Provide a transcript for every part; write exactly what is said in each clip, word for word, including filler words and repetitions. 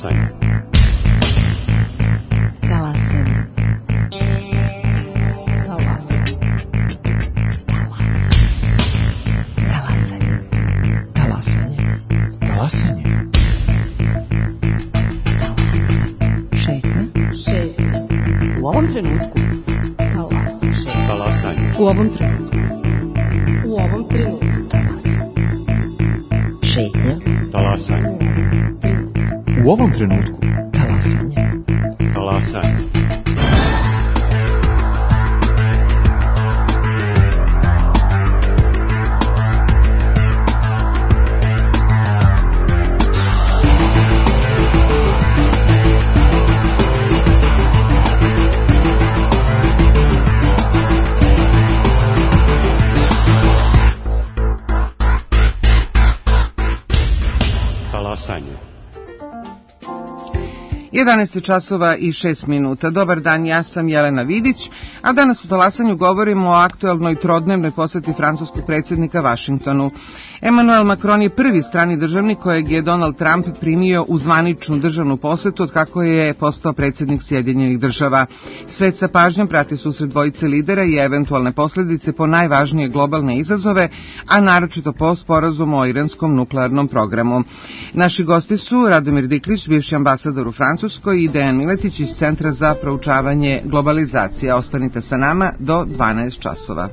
Talasanje. Talasanje. Talasanje. Talasanje. Talasanje. Šetnja. Šetnja. U ovom trenutku. Talasanje. Talasanje. U ovom trenutku. U ovom trenutku. Talasanje. Šetnja. Talasanje. U ovom trenutku. Talasanje. Talasanje. jedanaest časova i šest minuta. Dobar dan, ja sam Jelena Vidić, a danas u Talasanju govorimo o aktuelnoj trodnevnoj poseti francuskog predsjednika Vašingtonu. Emmanuel Macron je prvi strani državnik kojeg je Donald Trump primio u zvaničnu državnu posetu od kako je postao predsjednik Sjedinjenih država. Svet sa pažnjom prati susret dvojice lidera i eventualne posljedice po najvažnije globalne izazove, a naročito po sporazumu o iranskom nuklearnom programu. Naši gosti su Radomir Diklić, bivši ambasador u Francuskoj, i Dejan Miletić iz Centra za proučavanje globalizacije. Ostanite sa nama do dvanaest časova.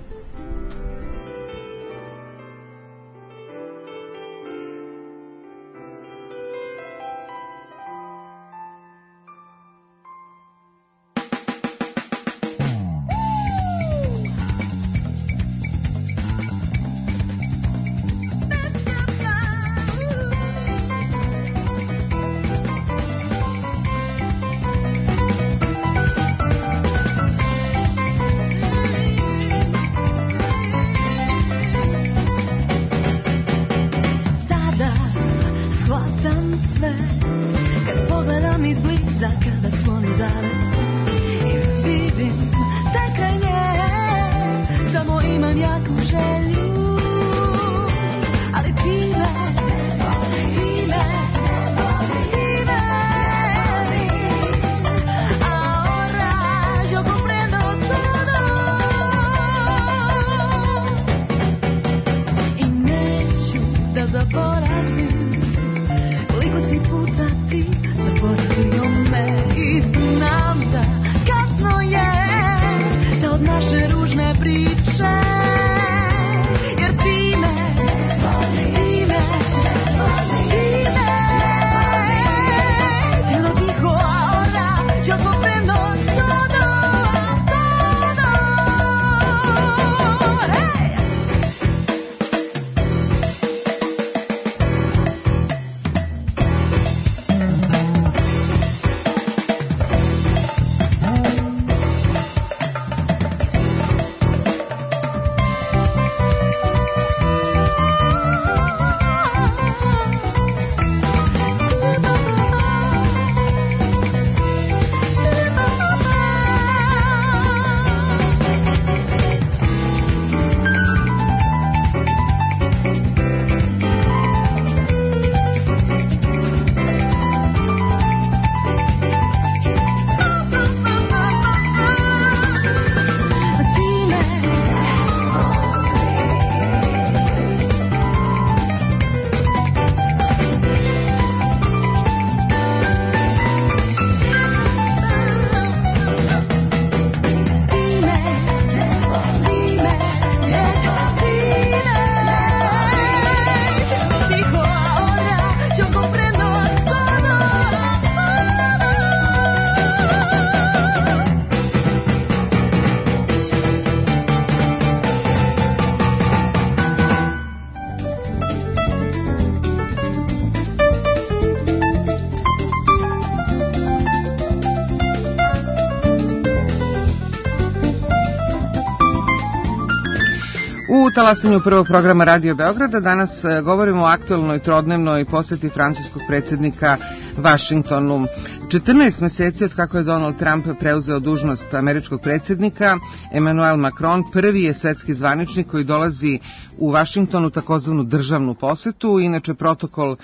U Talasanju prvog programa Radio Beograda danas govorimo o aktuelnoj trodnevnoj poseti francuskog predsjednika Vašingtonu. četrnaest meseci od kako je Donald Trump preuzeo dužnost američkog predsjednika, Emmanuel Macron prvi je svetski zvaničnik koji dolazi u Vašingtonu takozvanu državnu posetu. Inače, protokol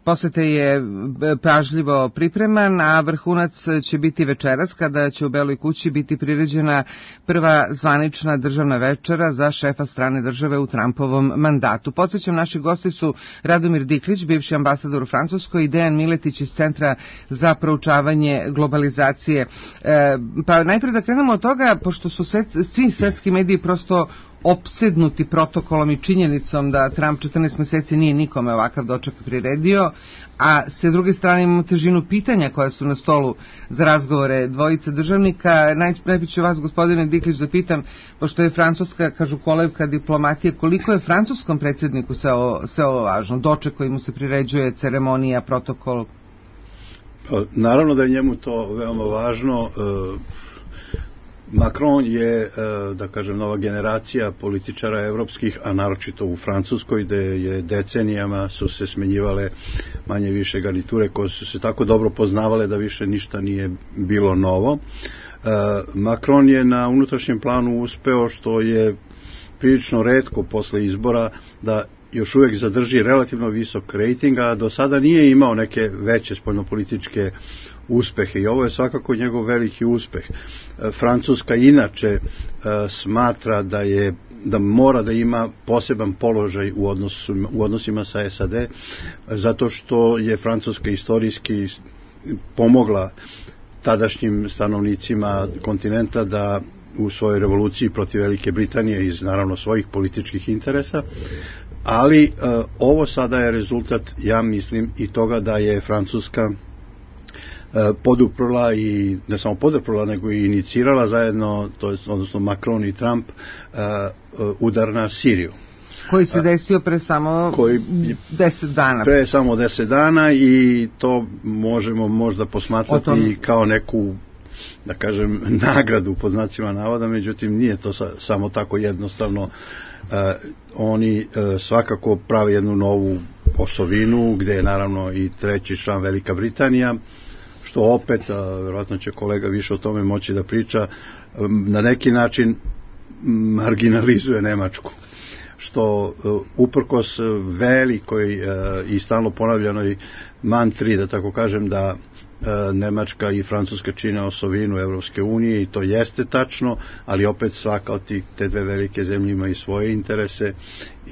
posete je pažljivo pripreman, a vrhunac će biti večeras kada će u Beloj kući biti priređena prva zvanična državna večera za šefa strane države u Trumpovom mandatu. Podsjećam, naši gosti su Radomir Diklić, bivši ambasador u Francuskoj, i Dejan Miletić iz Centra za proučavanje globalizacije. E, pa najprije da krenemo od toga, pošto su svet, svi svetski mediji prosto opsednuti protokolom i činjenicom da Trump četrnaest meseci nije nikome ovakav doček priredio, a s druge strane imamo težinu pitanja koja su na stolu za razgovore dvojice državnika. Naj, najprije ću vas, gospodine Diklić, da pitam, pošto je Francuska, kažu kolevka diplomatije, koliko je francuskom predsjedniku sve ovo, sve ovo važno? Doček koji mu se priređuje, ceremonija, protokol? Naravno da je njemu to veoma važno. Macron je, da kažem, nova generacija političara evropskih, a naročito u Francuskoj, gde je decenijama su se smenjivale manje više garniture koje su se tako dobro poznavale da više ništa nije bilo novo. Macron je na unutrašnjem planu uspeo, što je prilično retko posle izbora, da još uvek zadrži relativno visok rejting, a do sada nije imao neke veće spoljnopolitičke uspehe i ovo je svakako njegov veliki uspeh. Francuska inače smatra da je da mora da ima poseban položaj u, odnosu, u odnosima sa S A D, zato što je Francuska istorijski pomogla tadašnjim stanovnicima kontinenta da u svojoj revoluciji protiv Velike Britanije iz naravno svojih političkih interesa, ali e, ovo sada je rezultat, ja mislim, i toga da je Francuska e, poduprla i ne samo poduprla, nego i inicirala zajedno, to je, odnosno Macron i Trump, e, udar na Siriju. Koji se desio pre samo koji, deset dana. Pre samo deset dana i to možemo možda posmatrati kao neku, da kažem, nagradu pod znacima navoda, međutim nije to sa, samo tako jednostavno. E, oni e, svakako prave jednu novu osovinu gde je naravno i treći član Velika Britanija, što opet, a, verovatno će kolega više o tome moći da priča, na neki način marginalizuje Nemačku, što uprkos velikoj e, i stalno ponavljanoj mantri, da tako kažem, da Nemačka i Francuska čine osovinu Evropske unije, i to jeste tačno, ali opet svaka od tih, te dve velike zemlje ima i svoje interese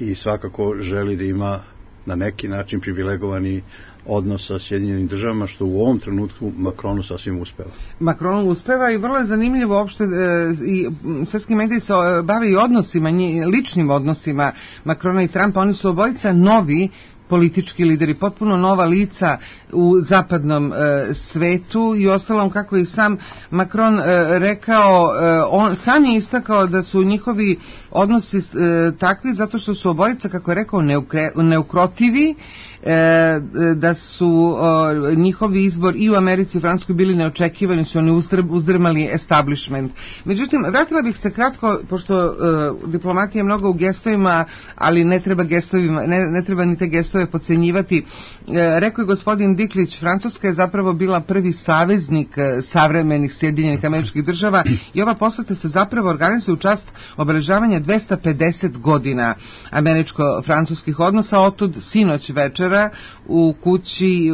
i svakako želi da ima na neki način privilegovani odnos sa Sjedinjenim državama, što u ovom trenutku Macronu sasvim uspeva. Macronu uspeva i vrlo je zanimljivo uopšte, e, i svetski mediji se bave i odnosima, ličnim odnosima Macrona i Trumpa. Oni su obojica novi politički lideri, potpuno nova lica u zapadnom e, svetu, i ostalom, kako je sam Macron e, rekao, e, on sam je istakao da su njihovi odnosi e, takvi zato što su obojica, kako je rekao, neukre, neukrotivi, e, da su e, njihovi izbor i u Americi i u Francuskoj bili neočekivani, su oni uzdrmali establishment. Međutim, vratila bih se kratko, pošto e, diplomatija je mnogo u gestovima, ali ne treba gestovima, ne, ne treba ni te gestove podcenjivati. E, rekao je gospodin Diklić, Francuska je zapravo bila prvi saveznik e, savremenih Sjedinjenih Američkih Država, i ova poseta se zapravo organizuje u čast obeležavanja dvesta pedeset godina američko-francuskih odnosa. Otud sinoć večera u kući, e,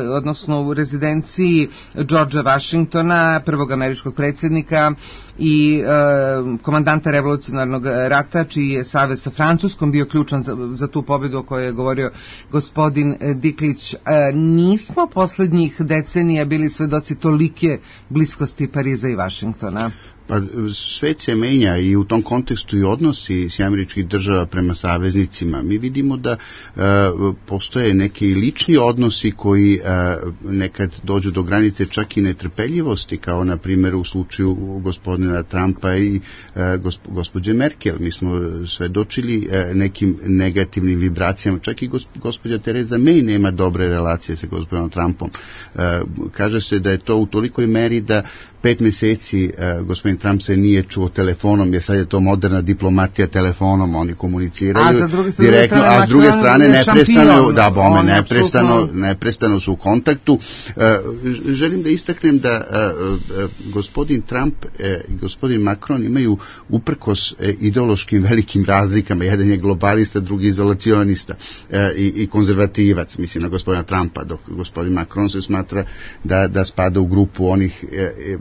odnosno u rezidenciji Georgea Washingtona, prvog američkog predsjednika i e, komandanta revolucionarnog rata, čiji je savez sa Francuskom bio ključan za, za tu pobjedu o kojoj je govorio gospodin Diklić. E, nismo poslednjih decenija bili svedoci tolike bliskosti Pariza i Vašingtona. Pa svet se menja i u tom kontekstu i odnosi s američkih država prema saveznicima. Mi vidimo da e, postoje neki lični odnosi koji e, nekad dođu do granice čak i netrpeljivosti, kao na primjer u slučaju gospodina Trumpa i e, gosp, gospođe Merkel. Mi smo svedočili e, nekim negativnim vibracijama, čak i gosp, gospođa Tereza May nema dobre relacije sa gospodinom Trumpom. E, kaže se da je to u tolikoj meri da pet meseci uh, gospodin Trump se nije čuo telefonom, jer sad je to moderna diplomatija telefonom, oni komuniciraju a za druge, direktno, strane, a s druge strane neprestano, da, bome, on neprestano, apsolutno... neprestano su u kontaktu. Uh, želim da istaknem da uh, uh, gospodin Trump i uh, gospodin Macron imaju uprkos uh, ideološkim velikim razlikama, jedan je globalista, drugi izolacionista uh, i, i konzervativac, mislim na gospodina Trumpa, dok gospodin Macron se smatra da, da spada u grupu onih uh,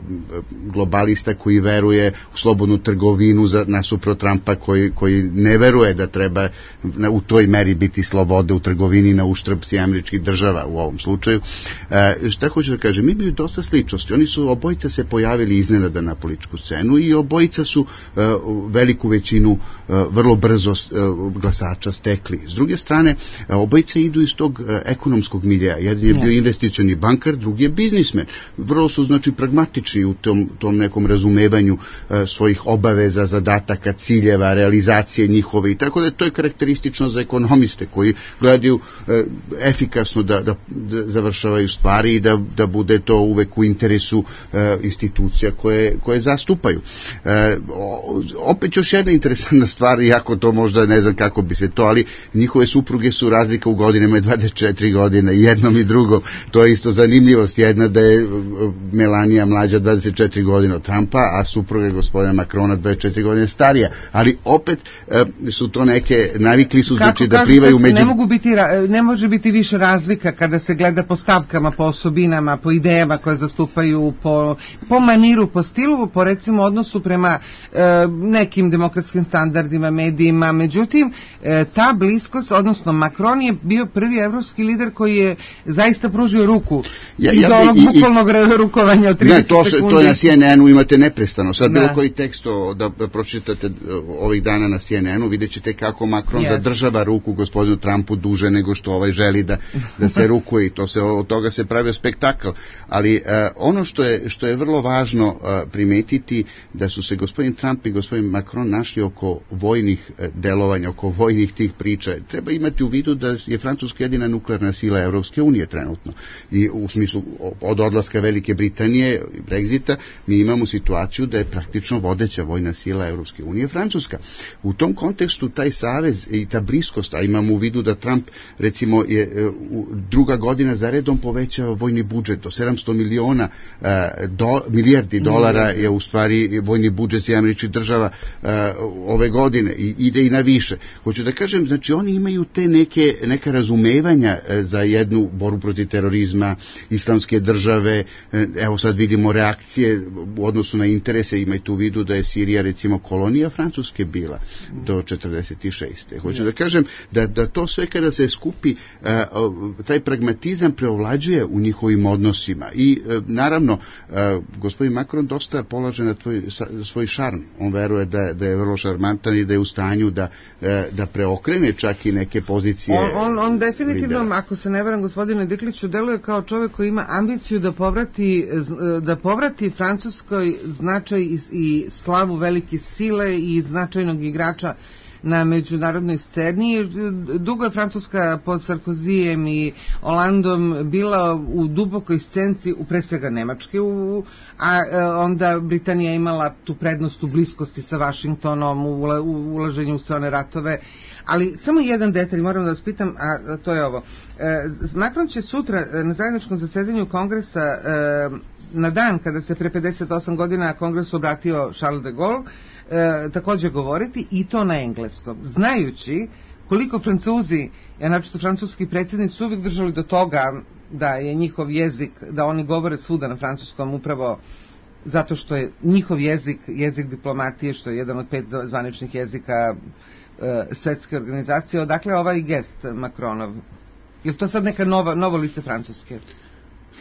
globalista koji veruje u slobodnu trgovinu za, nasuprot Trumpa koji, koji ne veruje da treba na, u toj meri biti sloboda u trgovini na uštrb američkih država u ovom slučaju. E, šta hoću da kažem, imaju dosta sličnosti. Oni su obojica se pojavili iznenada na političku scenu i obojica su e, veliku većinu e, vrlo brzo e, glasača stekli. S druge strane, e, obojica idu iz tog e, ekonomskog milija. Jedan je bio investicioni bankar, drugi je biznismen. Vrlo su znači pragmatični u tom, tom nekom razumevanju e, svojih obaveza, zadataka, ciljeva, realizacije njihove i tako da to je karakteristično za ekonomiste koji gledaju e, efikasno da, da, da završavaju stvari i da, da bude to uvek u interesu e, institucija koje, koje zastupaju. E, opet još jedna interesantna stvar, iako to možda ne znam kako bi se to, ali njihove supruge su razlika u godinama dvadeset četiri godine, jednom i drugom. To je isto zanimljivost, jedna da je Melania mlađa dvadeset četiri godine od Trumpa, a supruga gospodina Macrona dvadeset četiri godine starija, ali opet e, su to neke, navikli su kako, znači kako, da plivaju među... Ne mogu biti, ne može biti više razlika kada se gleda po stavkama, po osobinama, po idejama koje zastupaju, po, po maniru, po stilu, po recimo odnosu prema e, nekim demokratskim standardima, medijima. Međutim, e, ta bliskost, odnosno Macron je bio prvi evropski lider koji je zaista pružio ruku ja, ja, i do onog bukvalnog rukovanja od trideset ne, to, sekundi. To je na C N N-u imate neprestano. Sad da. Bilo koji tekst o, da, da pročitate ovih dana na C N N-u, vidjet ćete kako Macron yes. zadržava ruku gospodinu Trumpu duže nego što ovaj želi da, da se rukuje i to se, od toga se pravio spektakl. Ali uh, ono što je, što je vrlo važno uh, primetiti da su se gospodin Trump i gospodin Macron našli oko vojnih uh, delovanja, oko vojnih tih priča. Treba imati u vidu da je Francuska jedina nuklearna sila Evropske unije trenutno. I u smislu od odlaska Velike Britanije i Brexita mi imamo situaciju da je praktično vodeća vojna sila Evropske unije Francuska. U tom kontekstu taj savez i ta bliskost, a imamo u vidu da Trump recimo je uh, druga godina za redom povećao vojni budžet do sedamsto miliona uh, do, milijardi dolara je u stvari vojni budžet američkih država uh, ove godine i ide i na više. Hoću da kažem, znači oni imaju te neke, neka razumevanja uh, za jednu borbu protiv terorizma, islamske države, uh, evo sad vidimo reakcije u odnosu na interese, imajte u vidu da je Sirija recimo kolonija Francuske bila do četrdeset šeste. Hoću da kažem da, da to sve kada se skupi, uh, taj pragmatizam preovlađuje u njihovim odnosima i e, naravno e, gospodin Macron dosta polaže na tvoj, sa, svoj šarm. On veruje da, da je vrlo šarmantan i da je u stanju da, e, da preokrene čak i neke pozicije. On, on, on definitivno, lidera. Ako se ne varam, gospodine Dikliću, deluje kao čovjek koji ima ambiciju da povrati, da povrati Francuskoj značaj i, i slavu velike sile i značajnog igrača na međunarodnoj sceni. Dugo je Francuska pod Sarkozijem i Hollandom bila u dubokoj scenci, u pre svega Nemačke, u, a onda Britanija imala tu prednost u bliskosti sa Vašingtonom, u, u ulaženju u sve one ratove. Ali samo jedan detalj moram da vas pitam, a to je ovo. E, Macron će sutra na zajedničkom zasedanju Kongresa, e, na dan kada se pre pedeset osam godina Kongresu obratio Charles de Gaulle, e, također govoriti i to na engleskom, znajući koliko Francuzi, ja naprosto francuski predsjednici su uvijek držali do toga da je njihov jezik, da oni govore svuda na francuskom upravo zato što je njihov jezik, jezik diplomatije, što je jedan od pet zvaničnih jezika e, svetske organizacije. Odakle ovaj gest Macronov? Je li to sad neka nova, novo lice Francuske?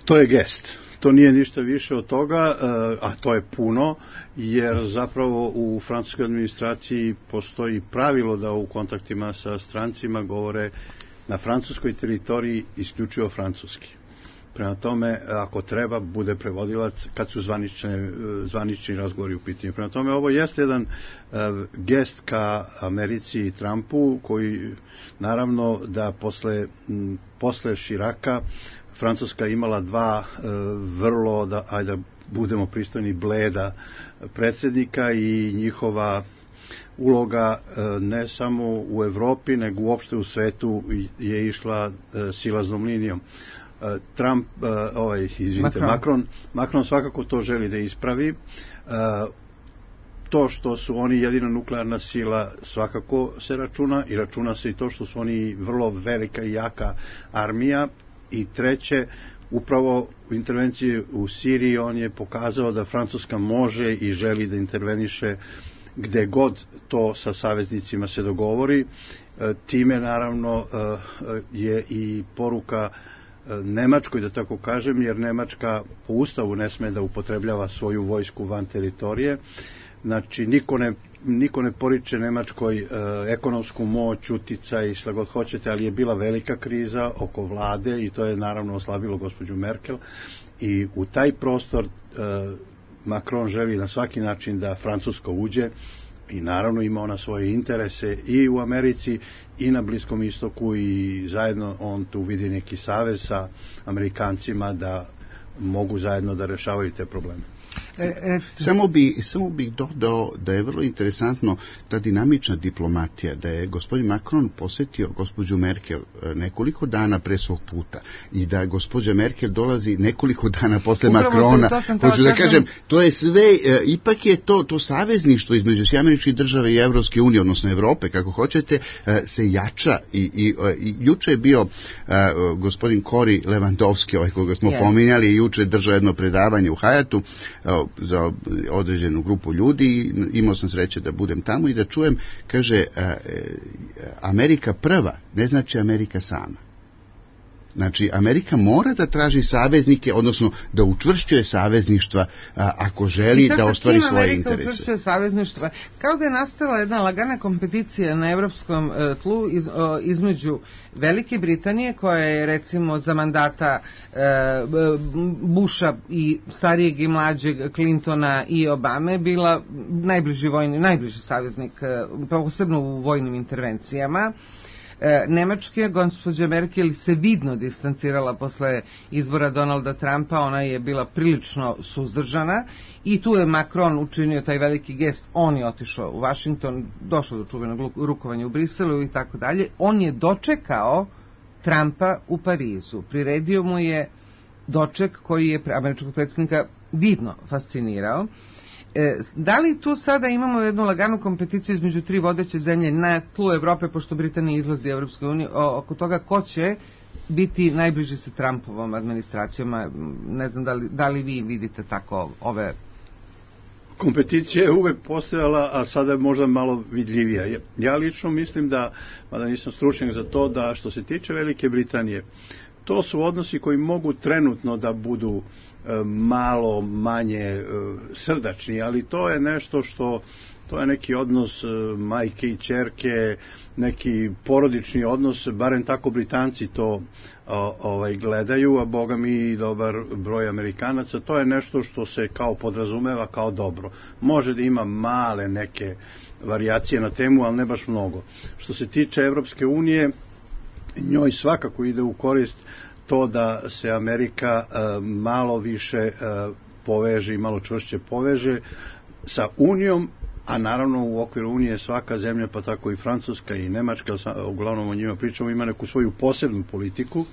To je gest. To nije ništa više od toga, a to je puno, jer zapravo u francuskoj administraciji postoji pravilo da u kontaktima sa strancima govore na francuskoj teritoriji isključivo francuski. Prema tome, ako treba, bude prevodilac kad su zvanične, zvanični razgovori u pitanju. Prema tome, ovo jeste jedan uh, gest ka Americi i Trumpu, koji naravno da posle, m, posle Širaka Francuska imala dva e, vrlo, da, ajde da budemo pristojni, bleda predsjednika i njihova uloga e, ne samo u Evropi, nego uopšte u svetu je išla e, silaznom linijom. E, Trump, e, ovaj, izvinite, Macron. Macron, Macron svakako to želi da ispravi. E, to što su oni jedina nuklearna sila svakako se računa i računa se i to što su oni vrlo velika i jaka armija. I treće, upravo u intervenciji u Siriji on je pokazao da Francuska može i želi da interveniše gde god to sa saveznicima se dogovori. Time naravno je i poruka Nemačkoj, da tako kažem, jer Nemačka po ustavu ne sme da upotrebljava svoju vojsku van teritorije. Znači, niko ne, niko ne poriče Nemačkoj e, ekonomsku moć, uticaj i šta god hoćete, ali je bila velika kriza oko vlade i to je naravno oslabilo gospođu Merkel i u taj prostor e, Macron želi na svaki način da Francuska uđe i naravno ima ona svoje interese i u Americi i na Bliskom istoku i zajedno on tu vidi neki savez sa Amerikancima da mogu zajedno da rešavaju te probleme. E, e, samo bi samo bih dodao da je vrlo interesantno ta dinamična diplomatija, da je gospodin Macron posjetio gospođu Merkel nekoliko dana pre svog puta i da gospođa Merkel dolazi nekoliko dana posle Upravo Macrona. Hoću da kažem, to je sve, e, ipak je to to savezništvo između Američkih država i Evropske unije, odnosno Evrope, kako hoćete, e, se jača i, i, i juče je bio e, gospodin Cory Lewandowski, ovaj koga smo yes. pominjali, i juče držao jedno predavanje u Hayatu za određenu grupu ljudi, imao sam sreće da budem tamo i da čujem, kaže, Amerika prva ne znači Amerika sama. Znači, Amerika mora da traži saveznike, odnosno da učvršćuje savezništva a, ako želi da ostvari svoje interese. Amerika učvršćuje savezništva. Kao da je nastala jedna lagana kompeticija na evropskom e, tlu iz, o, između Velike Britanije, koja je recimo za mandata e, Busha i starijeg i mlađeg Clintona i Obame bila najbliži vojni, najbliži saveznik, e, posebno u vojnim intervencijama. Nemačke, gospođa Merkel se vidno distancirala posle izbora Donalda Trumpa, ona je bila prilično suzdržana i tu je Macron učinio taj veliki gest, on je otišao u Washington, došao do čuvenog rukovanja u Briselu i tako dalje, on je dočekao Trumpa u Parizu, priredio mu je doček koji je američkog predsjednika vidno fascinirao. E, da li tu sada imamo jednu laganu kompeticiju između tri vodeće zemlje na tlu Evrope, pošto Britanija izlazi iz Evropske unije, oko toga ko će biti najbliži sa Trumpovom administracijom? Ne znam da li, da li vi vidite tako ove... Kompeticija je uvek postojala, a sada je možda malo vidljivija. Ja lično mislim da, mada nisam stručnjak za to, da što se tiče Velike Britanije, to su odnosi koji mogu trenutno da budu malo manje srdačni, ali to je nešto što, to je neki odnos majke i ćerke, neki porodični odnos, barem tako Britanci to o, ovaj, gledaju, a boga mi i dobar broj Amerikanaca, to je nešto što se kao podrazumeva kao dobro. Može da ima male neke varijacije na temu, ali ne baš mnogo. Što se tiče Evropske unije, njoj svakako ide u korist to da se Amerika uh, malo više uh, poveže i malo čvršće poveže sa Unijom, a naravno u okviru Unije svaka zemlja, pa tako i Francuska i Nemačka, uglavnom o njima pričamo, ima neku svoju posebnu politiku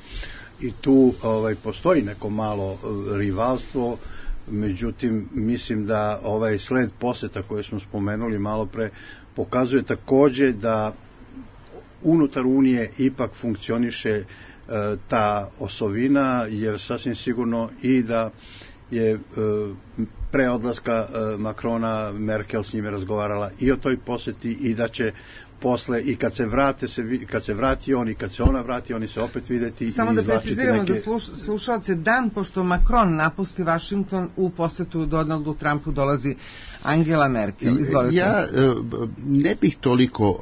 i tu ovaj, postoji neko malo rivalstvo, međutim mislim da ovaj sled poseta koje smo spomenuli malo pre pokazuje takođe da unutar Unije ipak funkcioniše ta osovina, jer sasvim sigurno i da je pre odlaska Macrona Merkel s njime razgovarala i o toj poseti i da će posle i kad se vrate se kad se vrati on i kad se ona vrati oni se opet videti. Samo i da preciziramo neke... da sluš, slušalce, dan pošto Macron napusti Washington, u posetu Donaldu Trumpu dolazi Angela Merkel. Izvolite. Ja ne bih toliko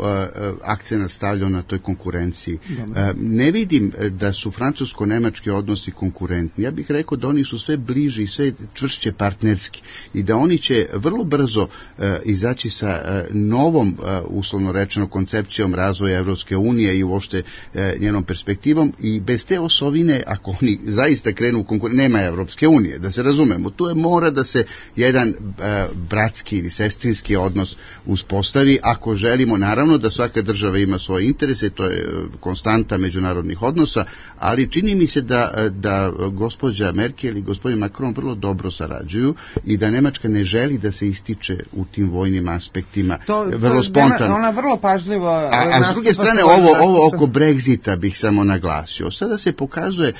akcenta stavljao na toj konkurenciji. Dobre. Ne vidim da su francusko-nemački odnosi konkurentni. Ja bih rekao da oni su sve bliži i sve čvršće partnerski i da oni će vrlo brzo izaći sa novom, uslovno rečeno, njenom koncepcijom razvoja Evropske unije i uopšte e, njenom perspektivom, i bez te osovine, ako oni zaista krenu u konkurenciju, nema Evropske unije, da se razumemo. Tu je mora da se jedan e, bratski ili sestrinski odnos uspostavi, ako želimo, naravno, da svaka država ima svoje interese, to je konstanta međunarodnih odnosa, ali čini mi se da, da gospođa Merkel i gospodin Macron vrlo dobro sarađuju i da Nemačka ne želi da se ističe u tim vojnim aspektima, to, vrlo spontano. Ona vrlo pažljivo... A, a s druge strane, ovo, ovo oko Brexita bih samo naglasio. Sada se pokazuje,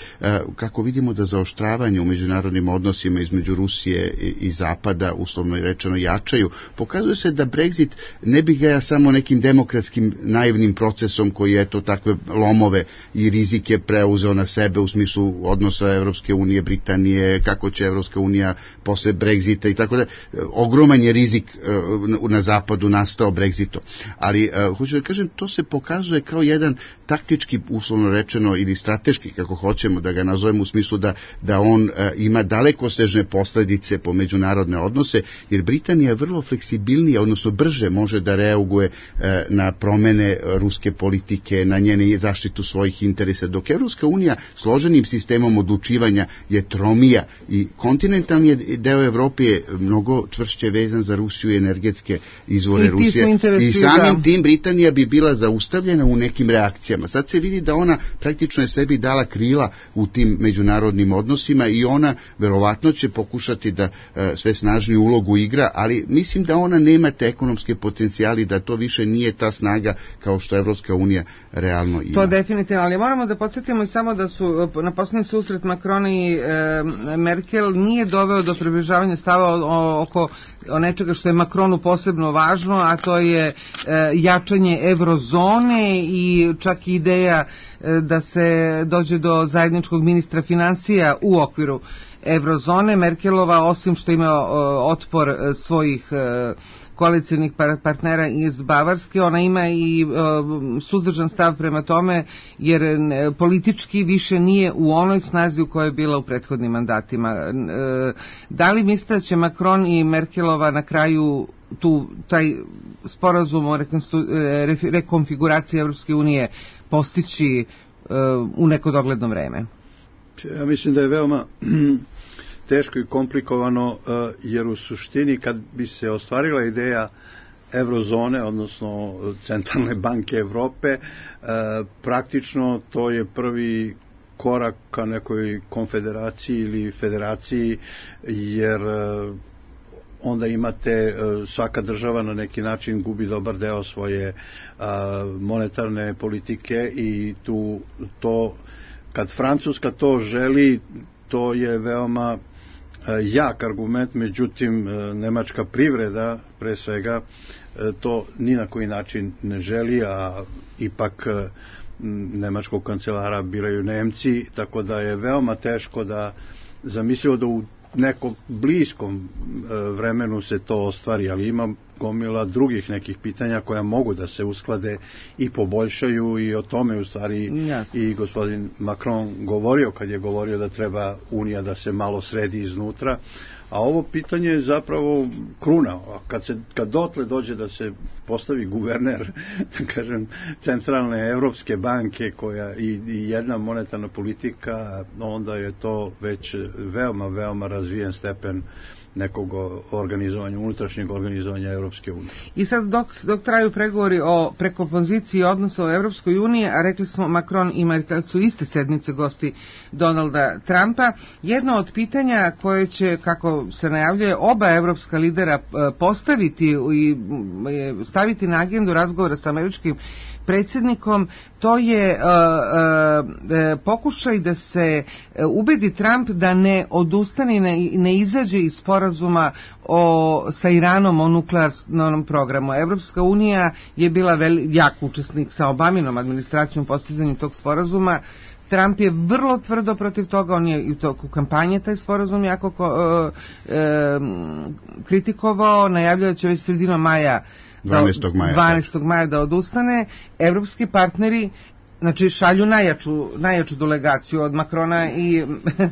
kako vidimo, da zaoštravanje u međunarodnim odnosima između Rusije i, i Zapada, uslovno i rečeno, jačaju. Pokazuje se da Brexit ne bi ga samo nekim demokratskim naivnim procesom koji je to takve lomove i rizike preuzeo na sebe u smislu odnosa Evropske unije, Britanije, kako će Evropska unija posle Brexita i tako da. Ogroman je rizik uh, na zapadu nastao Brexitom. Ali, uh, hoću da kažem, to se pokazuje kao jedan taktički, uslovno rečeno, ili strateški, kako hoćemo da ga nazovemo, u smislu da, da on uh, ima dalekosežne posledice po međunarodne odnose, jer Britanija je vrlo fleksibilnija, odnosno brže može da reaguje uh, na promene ruske politike, na njene zaštitu svojih interesa, dok Evropska unija složenim sistemom odlučivanja je tromija i kontinentalni deo Evrope je mnogo čvršće vezan za Rusiju i energetske izvore I Rusije. I samim da. tim Britanija bi bila zaustavljena u nekim reakcijama. Sad se vidi da ona praktično je sebi dala krila u tim međunarodnim odnosima i ona verovatno će pokušati da e, sve snažniju ulogu igra, ali mislim da ona nema te ekonomske potencijali, da to više nije ta snaga kao što Evropska unija realno ima. To definitivno, ali moramo da podsjetimo i samo da su na poslednji susret Macron i e, Merkel nije doveo do približavanja stava o, o, oko o nečega što je Macronu posebno važno, a to je e, jačanje eurozone i čak i ideja e, da se dođe do zajedničkog ministra financija u okviru eurozone. Merkelova, osim što ima e, otpor e, svojih e, koalicijnih partnera iz Bavarske, ona ima i e, suzdržan stav prema tome, jer e, politički više nije u onoj snazi u kojoj je bila u prethodnim mandatima. E, da li mislite da će Macron i Merkelova na kraju tu taj sporazum o rekonfiguraciji Evropske unije postići e, u neko dogledno vreme? Ja mislim da je veoma teško i komplikovano, jer u suštini kad bi se ostvarila ideja eurozone, odnosno Centralne banke Evrope, praktično to je prvi korak ka nekoj konfederaciji ili federaciji, jer onda imate, svaka država na neki način gubi dobar deo svoje monetarne politike i tu to, kad Francuska to želi, to je veoma jak argument, međutim nemačka privreda pre svega to ni na koji način ne želi, a ipak nemačkog kancelara biraju Nemci, tako da je veoma teško da zamislimo da u nekom bliskom vremenu se to ostvari, ali ima gomila drugih nekih pitanja koja mogu da se usklade i poboljšaju, i o tome u stvari yes. i gospodin Macron govorio kad je govorio da treba Unija da se malo sredi iznutra, a ovo pitanje je zapravo kruna. A kad, se, kad dotle dođe da se postavi guverner, da kažem, Centralne Evropske banke koja i, i jedna monetarna politika, onda je to već veoma, veoma razvijen stepen nekog organizovanja, unutrašnjeg organizovanja Evropske unije. I sad dok, dok traju pregovori o prekompoziciji odnosa u Evropskoj uniji, a rekli smo Macron i Merkel su iste sedmice gosti Donalda Trumpa, jedno od pitanja koje će, kako se najavljuje, oba evropska lidera postaviti i staviti na agendu razgovora sa američkim predsjednikom, to je uh, uh, pokušaj da se ubedi Trump da ne odustane i ne, ne izađe iz sporazuma o, sa Iranom o nuklearnom programu. Evropska unija je bila veli, jak učesnik sa Obaminom administracijom postizanju tog sporazuma. Trump je vrlo tvrdo protiv toga, on je i u toku kampanje taj sporazum jako ko, e, e, kritikovao, najavljao će već sredinom maja dvanaestog maja dvanaestog maja da odustane. Evropski partneri Znači šalju najjaču, najjaču delegaciju od Makrona i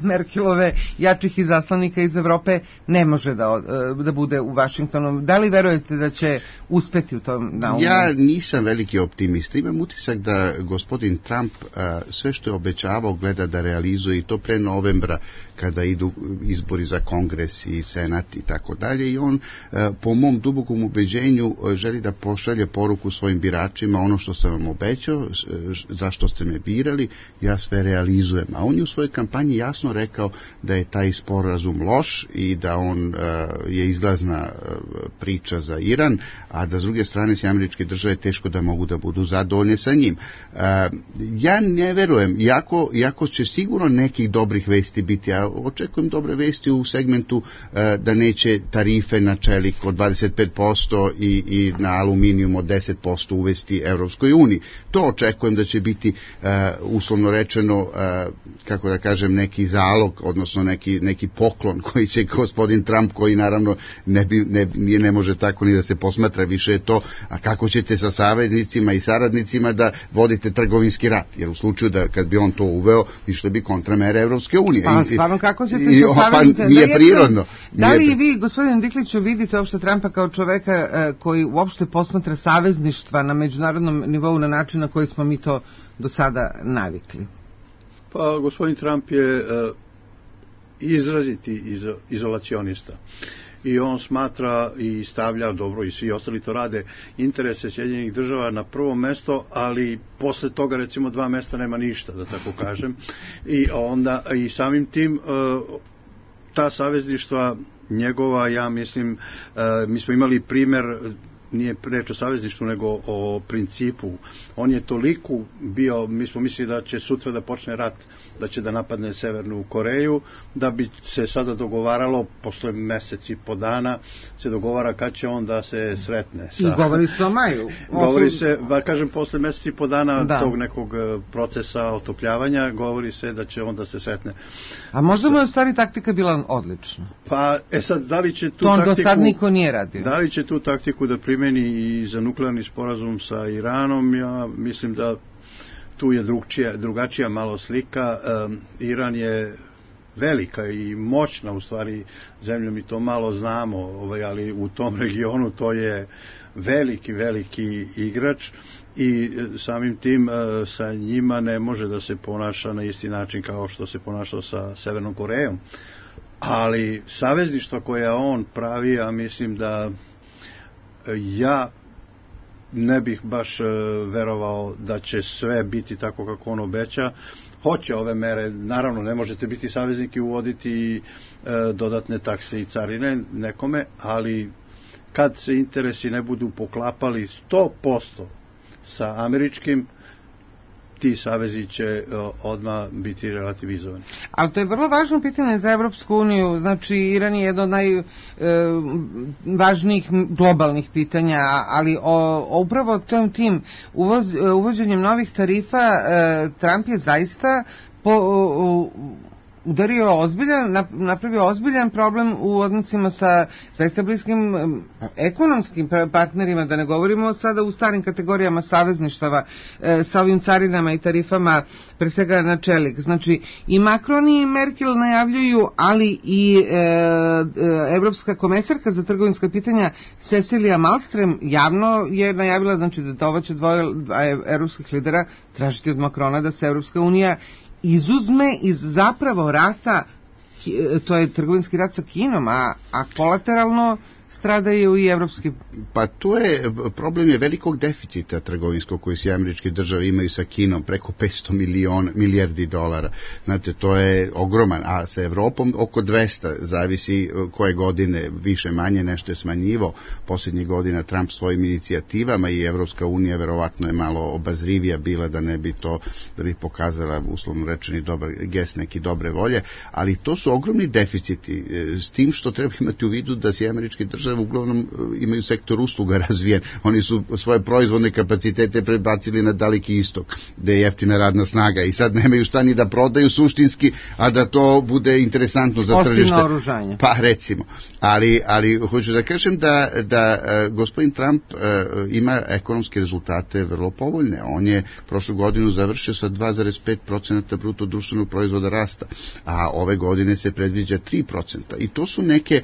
Merkelove jačih izaslanika iz Evrope ne može da, da bude u Vašingtonu. Da li verujete da će uspeti u tom naumu? Ja nisam veliki optimista. Imam utisak da gospodin Trump a, sve što je obećavao gleda da realizuje i to pre novembra kada idu izbori za Kongres i Senat i tako dalje i on a, po mom dubokom ubeđenju želi da pošalje poruku svojim biračima ono što sam vam obećao, zašto ste me birali, ja sve realizujem. A on je u svojoj kampanji jasno rekao da je taj sporazum loš i da on uh, je izlazna uh, priča za Iran, a da s druge strane se američke države teško da mogu da budu zadovoljne sa njim. Uh, ja ne verujem, iako, iako će sigurno nekih dobrih vesti biti, ja očekujem dobre vesti u segmentu uh, da neće tarife na čelik od dvadeset pet posto i, i na aluminijum od deset posto uvesti Evropskoj uniji. To očekujem da će biti uh, uslovno rečeno, uh, kako da kažem, neki zalog, odnosno neki, neki poklon koji će gospodin Trump, koji naravno ne, bi, ne, ne može tako ni da se posmatra, više je to, a kako ćete sa saveznicima i saradnicima da vodite trgovinski rat, jer u slučaju da kad bi on to uveo, išle bi kontramere Evropske unije. Pa stvarno kako ćete i, sa saveznicima? Pa nije prirodno. Da li i vi, gospodine Dikliću, vidite uopšte Trumpa kao čoveka uh, koji uopšte posmatra savezništva na međunarodnom nivou na način na koji smo mi to do sada navikli? Pa gospodin Trump je uh, izraziti izo, izolacionista i on smatra i stavlja, dobro i svi ostali to rade, interese Sjedinjenih država na prvo mesto, ali posle toga recimo dva mesta nema ništa, da tako kažem, i onda i samim tim uh, ta savezništva njegova, ja mislim, uh, mi smo imali primer, nije reč o savezništvu, nego o principu. On je toliko bio, mi smo mislili da će sutra da počne rat, da će da napadne Severnu Koreju, da bi se sada dogovaralo, posle mesec i po dana, se dogovara kad će on da se sretne. Sa, I govori se o maju. Govori se, ba kažem, posle mesec i po dana da. tog nekog procesa otopljavanja, govori se da će on da se sretne. A možda mu je u stvari taktika bila odlična. Pa, e sad, da li će tu to on taktiku... do sad niko nije radio. Da li će tu taktiku da primeni i za nuklearni sporazum sa Iranom, ja mislim da tu je drugčija, drugačija malo slika. Um, Iran je velika i moćna u stvari zemlja, mi to malo znamo, ovaj, ali u tom regionu to je veliki, veliki igrač i samim tim uh, sa njima ne može da se ponaša na isti način kao što se ponašao sa Severnom Korejom. Ali savezništva koja on pravi, ja mislim da ja ne bih baš verovao da će sve biti tako kako on obeća. Hoće ove mere, naravno ne možete biti saveznik i uvoditi e, dodatne takse i carine nekome, ali kad se interesi ne budu poklapali sto posto sa američkim, ti savezi će odmah biti relativizovani. Ali to je vrlo važno pitanje za Evropsku uniju, znači Iran je jedno od najvažnijih e, globalnih pitanja, ali o, o upravo tom tim uvoz, uvođenjem novih tarifa e, Trump je zaista po, o, udario ozbiljan, napravio ozbiljan problem u odnosima sa zaista bliskim ekonomskim partnerima, da ne govorimo sada u starim kategorijama savezništava e, sa ovim carinama i tarifama, pre svega na čelik. Znači i Macron i Merkel najavljuju, ali i e, e, Evropska komesarka za trgovinska pitanja Cecilia Malmström javno je najavila, znači da ovo će dvoje evropskih lidera tražiti od Macrona da se Evropska unija izuzme iz zapravo rata, to je trgovinski rat sa Kinom, a, a kolateralno stradaju i evropski. Pa to je, problem je velikog deficita trgovinskog koji se američke države imaju sa Kinom, preko petsto miliona, milijardi dolara. Znate, to je ogroman, a sa Evropom oko dvesta, zavisi koje godine, više manje, nešto je smanjivo. Posljednjih godina Trump svojim inicijativama i Evropska unija verovatno je malo obazrivija bila da ne bi to, da bi pokazala uslovno rečeni dobar gest, neki dobre volje, ali to su ogromni deficiti, s tim što treba imati u vidu da se američke države države uglavnom imaju sektor usluga razvijen. Oni su svoje proizvodne kapacitete prebacili na Daleki istok, gde je jeftina radna snaga i sad nemaju šta ni da prodaju suštinski, a da to bude interesantno za tržište. Osim naoružanja. Pa recimo. Ali, ali hoću da kažem da, da gospodin Trump ima ekonomske rezultate vrlo povoljne. On je prošlu godinu završio sa dva zarez pet procenta bruto društvenog proizvoda rasta, a ove godine se predviđa tri procenta. I to su neke,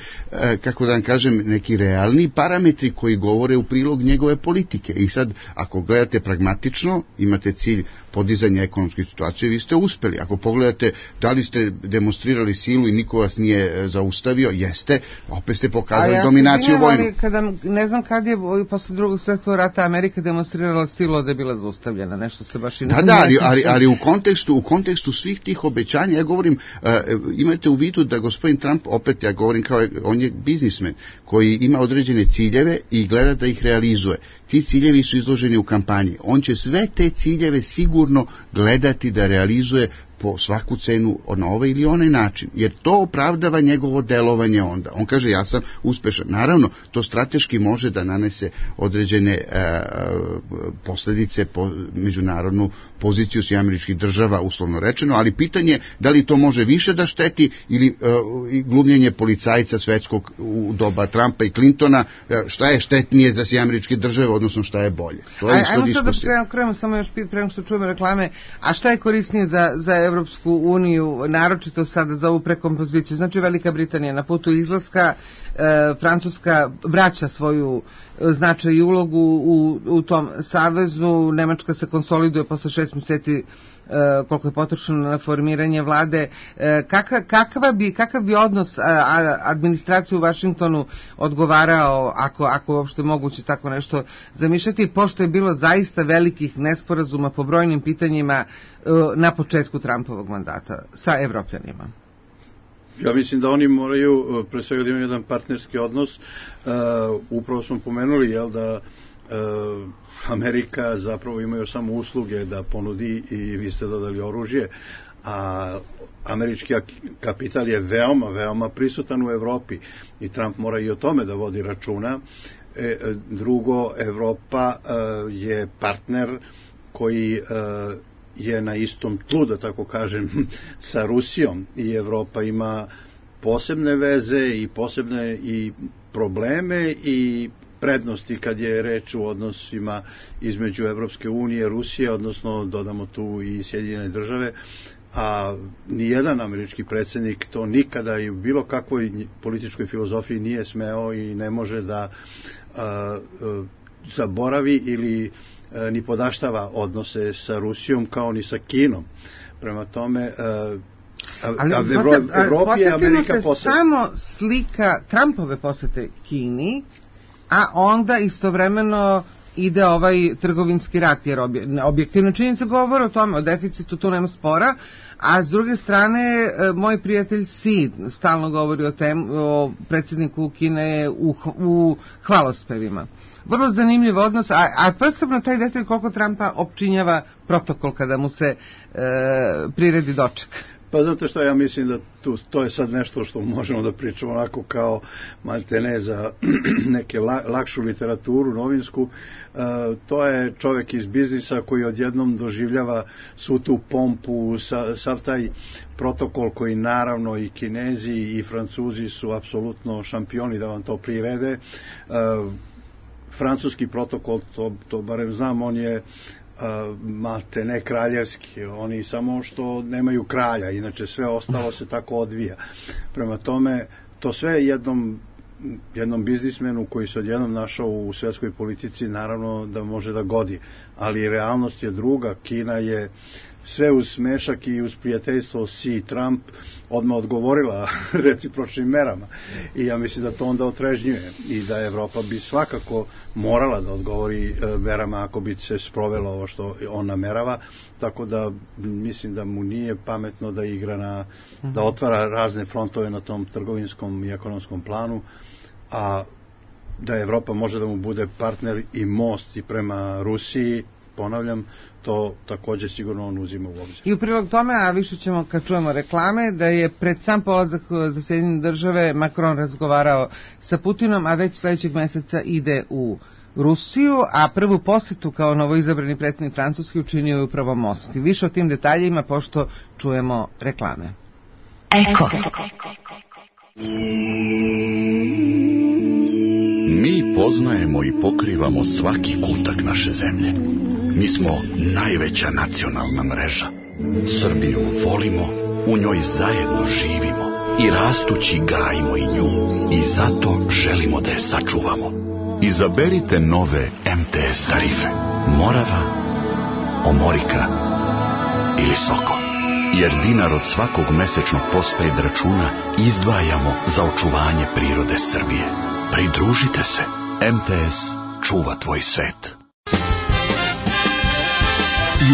kako da vam kažem, neki realni parametri koji govore u prilog njegove politike. I sad, ako gledate pragmatično, imate cilj podizanja ekonomske situacije, vi ste uspeli. Ako pogledate da li ste demonstrirali silu i niko vas nije zaustavio, jeste, opet ste pokazali ja dominaciju vojnu. Kada, ne znam kad je posle drugog svjetskog rata Amerika demonstrirala silu da je bila zaustavljena, nešto se baš i ne... Da, da, ali, ali, ali u kontekstu, u kontekstu svih tih obećanja, ja govorim, uh, imajte u vidu da gospodin Trump, opet ja govorim kao, on je biznismen koji ima određene ciljeve i gleda da ih realizuje. Ti ciljevi su izloženi u kampanji. On će sve te ciljeve sigurno gledati da realizuje po svaku cenu na ovaj ili onaj način, jer to opravdava njegovo delovanje onda. On kaže, ja sam uspešan. Naravno, to strateški može da nanese određene e, posledice po međunarodnu poziciju svih američkih država, uslovno rečeno, ali pitanje da li to može više da šteti ili e, glumljenje policajca svetskog u doba Trumpa i Clintona, e, šta je štetnije za svih američke države, odnosno šta je bolje. To je isto diskusija. Ajmo sad da krenemo samo još pit prema što čujemo reklame, a šta je korisnije za, za Evropsku uniju, naročito sada za ovu prekompoziciju. Znači Velika Britanija na putu izlaska, e, Francuska vraća svoju značaj i ulogu u, u tom savezu, Nemačka se konsoliduje posle šest mjeseci e, koliko je potrošeno na formiranje vlade. E, kaka, kakva bi, kakav bi odnos a, a, administracije u Vašingtonu odgovarao, ako, ako je uopšte moguće tako nešto zamišljati, pošto je bilo zaista velikih nesporazuma po brojnim pitanjima na početku Trumpovog mandata sa Evropljanima? Ja mislim da oni moraju, pre svega da imaju jedan partnerski odnos. Uh, upravo smo pomenuli, jel, da uh, Amerika zapravo ima još samo usluge da ponudi i vi ste dodali oružje, a američki kapital je veoma, veoma prisutan u Evropi i Trump mora i o tome da vodi računa. E, drugo, Evropa uh, je partner koji uh, je na istom tlu, da tako kažem, sa Rusijom i Evropa ima posebne veze i posebne i probleme i prednosti kad je reč u odnosima između Evropske unije, Rusije, odnosno dodamo tu i Sjedinjene države, a nijedan američki predsjednik to nikada i u bilo kakvoj političkoj filozofiji nije smeo i ne može da a, a, zaboravi ili ni podaštava odnose sa Rusijom kao ni sa Kinom. Prema tome, ali Evropi je Amerika posete. Samo slika Trumpove posete Kini, a onda istovremeno ide ovaj trgovinski rat, jer objektivno činjenice govore o tome, o deficitu, tu nema spora, a s druge strane, moj prijatelj Xi stalno govori o, tem, o predsjedniku Kine u, u hvalospevima. Vrlo zanimljiv odnos, a, a posebno taj detalj koliko Trumpa opčinjava protokol kada mu se e, priredi doček. Pa zato što ja mislim da tu, to je sad nešto što možemo da pričamo onako kao maltene za neke la, lakšu literaturu novinsku. E, to je čovjek iz biznisa koji odjednom doživljava svu tu pompu, sa, sav taj protokol koji naravno i Kinezi i Francuzi su apsolutno šampioni da vam to prirede. E, francuski protokol, to, to barem znam, on je malte ne kraljevski, oni samo što nemaju kralja, inače sve ostalo se tako odvija. Prema tome, to sve jednom jednom biznismenu koji se odjednom našao u svjetskoj politici naravno da može da godi, ali realnost je druga. Kina je sve uz smešak i uz prijateljstvo Xi Trump odmah odgovorila recipročnim merama i ja mislim da to onda otrežnjuje i da Evropa bi svakako morala da odgovori merama ako bi se sprovelo ovo što on namerava, tako da mislim da mu nije pametno da igra na, da otvara razne frontove na tom trgovinskom i ekonomskom planu, a da Evropa može da mu bude partner i most i prema Rusiji ponavljam, to takođe sigurno on uzima u obzir. I u prilog tome, a više ćemo kad čujemo reklame, da je pred sam polazak za Sjedinjene države Macron razgovarao sa Putinom, a već sledećeg meseca ide u Rusiju, a prvu posetu kao novoizabrani predsjednik Francuske učinio je upravo Moskvi. Više o tim detaljima pošto čujemo reklame. Eko. Mi poznajemo i pokrivamo svaki kutak naše zemlje. Mi smo najveća nacionalna mreža. Srbiju volimo, u njoj zajedno živimo i rastući gajimo i nju. I zato želimo da je sačuvamo. Izaberite nove em te es tarife. Morava, Omorika ili Soko. Jer dinar od svakog mesečnog postpaid računa izdvajamo za očuvanje prirode Srbije. Pridružite se. em te es čuva tvoj svet.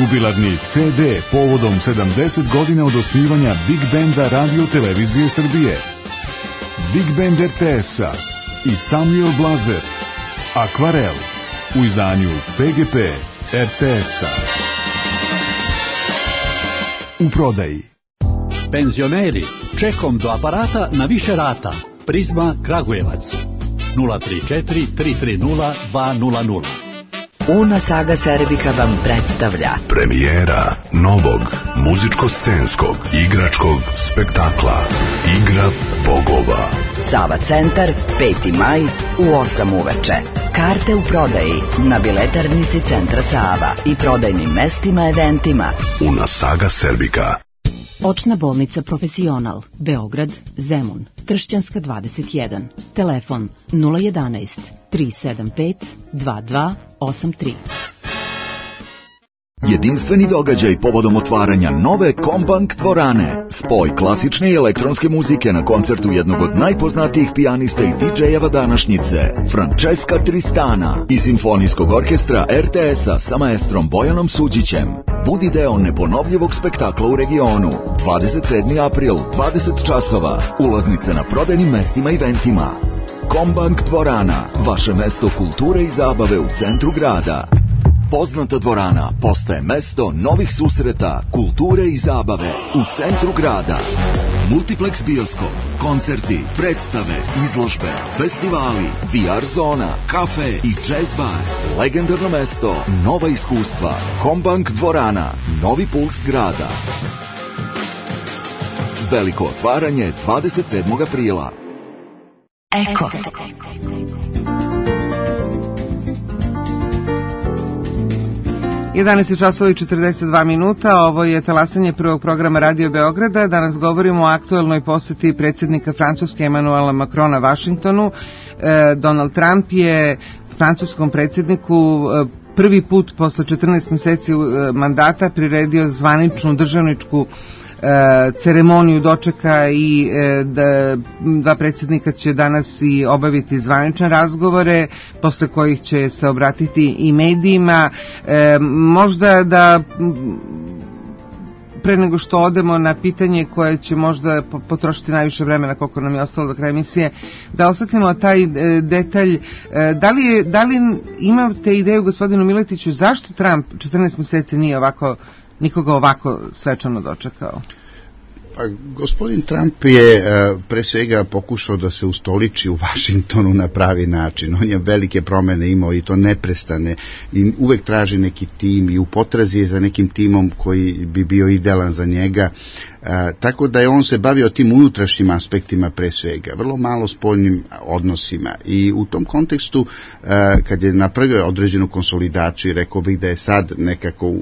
Jubilarni ce de povodom sedamdeset godina od osnivanja Big Benda Radio Televizije Srbije. Big Band er te es-a i Samuel Blazer. Akvarel u izdanju pe ge pe er te es-a. U prodaji. Penzioneri, čekom do aparata na više rata. Prizma Kragujevac. nula tri četiri tri tri nula dva nula nula. Una Saga Serbika vam predstavlja premijera novog muzičko-scenskog igračkog spektakla Igra bogova. Sava centar, peti maj u osam uveče. Karte u prodaji na biletarnici Centra Sava i prodajnim mestima eventima. Una Saga Serbika. Očna bolnica Profesional, Beograd, Zemun, Tršćanska dvadeset jedan. Telefon nula jedanaest tri sedam pet dva dva osam tri. Jedinstveni događaj povodom otvaranja nove Kombank dvorane. Spoj klasične i elektronske muzike na koncertu jednog od najpoznatijih pijanista i didžejeva današnjice, Francesca Tristana, i simfonijskog orkestra er te es-a sa maestrom Bojanom Suđićem. Budi deo neponovljivog spektakla u regionu. dvadeset sedmi april, dvadeset časova. Ulaznice na prodajnim mestima i eventima. Kombank dvorana, vaše mesto kulture i zabave u centru grada. Poznata dvorana postaje mesto novih susreta, kulture i zabave u centru grada. Multiplex bioskop, koncerti, predstave, izložbe, festivali, ve er zona, kafe i jazz bar. Legendarno mesto, nova iskustva. Kombank dvorana, novi puls grada. Veliko otvaranje dvadeset sedmog aprila. Eko. jedanaest časova i četrdeset dva minuta, ovo je talasanje prvog programa Radio Beograda. Danas govorimo o aktuelnoj poseti predsjednika Francuske Emanuela Macrona Vašingtonu. Donald Trump je francuskom predsjedniku prvi put posle četrnaest meseci mandata priredio zvaničnu državničku ceremoniju dočeka i da dva predsjednika će danas i obaviti zvanične razgovore, posle kojih će se obratiti i medijima. Možda da pre nego što odemo na pitanje koje će možda potrošiti najviše vremena koliko nam je ostalo do kraja emisije, da osvetlimo taj detalj. Da li, je, da li imate ideju, gospodinu Miletiću, zašto Trump četrnaest meseci nije ovako nikoga ovako svečano dočekao? Pa, gospodin Trump je pre svega pokušao da se ustoliči u Vašingtonu na pravi način. On je velike promene imao i to neprestane i uvek traži neki tim i u potrazi je za nekim timom koji bi bio idealan za njega. E, tako da je on se bavio tim unutrašnjim aspektima pre svega, vrlo malo spoljnim odnosima i u tom kontekstu e, kad je napravio određenu konsolidaciju, rekao bih da je sad nekako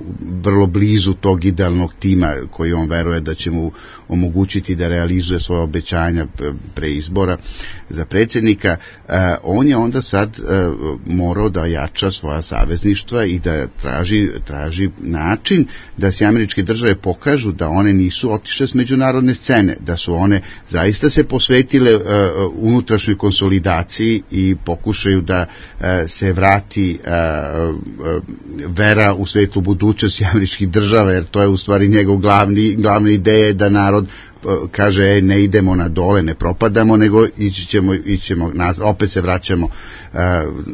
vrlo blizu tog idealnog tima koji on veruje da će mu omogućiti da realizuje svoje obećanja pre izbora za predsjednika, e, on je onda sad e, morao da jača svoja savezništva i da traži, traži način da se američke države pokažu da one nisu otišle s međunarodne scene, da su one zaista se posvetile uh, unutrašnjoj konsolidaciji i pokušaju da uh, se vrati uh, uh, vera u svetlu budućnosti američkih država, jer to je u stvari njegov glavni, glavna ideja da narod kaže e, ne idemo na dole, ne propadamo, nego ići ćemo, ići ćemo naz, opet se vraćamo uh,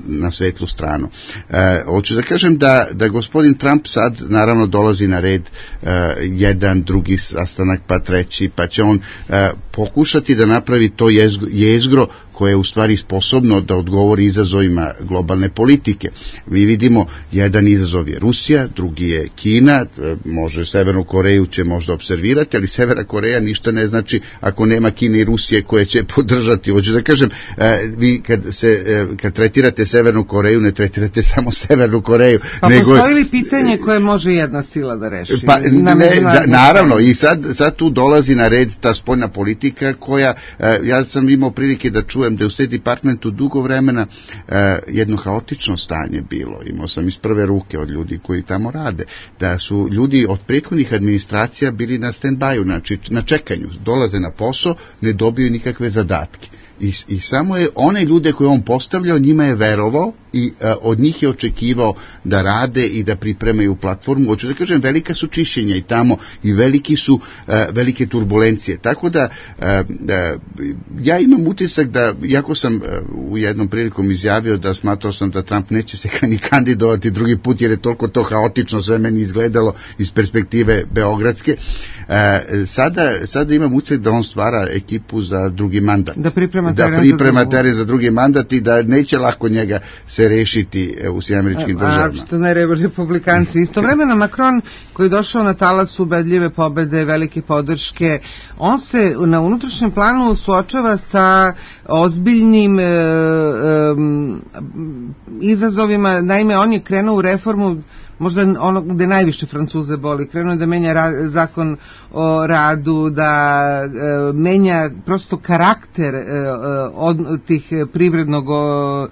na svetlu stranu. Uh, hoću da kažem da, da gospodin Trump sad naravno dolazi na red uh, jedan, drugi sastanak, pa treći, pa će on uh, pokušati da napravi to jezgro, jezgro koje je u stvari sposobno da odgovori izazovima globalne politike. Mi vidimo, jedan izazov je Rusija, drugi je Kina, može Severnu Koreju će možda observirati, ali Severna Koreja ništa ne znači ako nema Kine i Rusije koje će podržati. Hoću da kažem, vi kad, se, kad tretirate Severnu Koreju, ne tretirate samo Severnu Koreju. Pa nego... postoji li pitanje koje može jedna sila da reši? Pa, ne, da, naravno, i sad, sad tu dolazi na red ta spoljna politika koja, ja sam imao prilike da čujem da je u State Departmentu dugo vremena eh, jedno haotično stanje bilo. Imao sam iz prve ruke od ljudi koji tamo rade, da su ljudi od prethodnih administracija bili na stand-by, znači na čekanju, dolaze na posao, ne dobiju nikakve zadatke. I, i samo je one ljude koje on postavljao, njima je verovao i a, od njih je očekivao da rade i da pripremaju platformu. Hoću da kažem, velika su čišćenja i tamo i veliki su a, velike turbulencije. Tako da a, a, ja imam utisak da, iako sam a, u jednom prilikom izjavio da smatrao sam da Trump neće se ni kandidovati drugi put jer je toliko to haotično sve meni izgledalo iz perspektive beogradske, a, sada, sada imam utisak da on stvara ekipu za drugi mandat. Da priprema da priprema teren za drugi mandat i da neće lako njega se rešiti u Sjedinjenim Američkim Državama. A što ne republikanci. Istovremeno Macron, koji je došao na talac ubedljive pobede, velike podrške, on se na unutrašnjem planu suočava sa ozbiljnim e, e, izazovima. Naime, on je krenuo u reformu možda ono gde najviše Francuze boli, krenuo da menja ra- zakon o radu, da e, menja prosto karakter e, od tih privrednog o,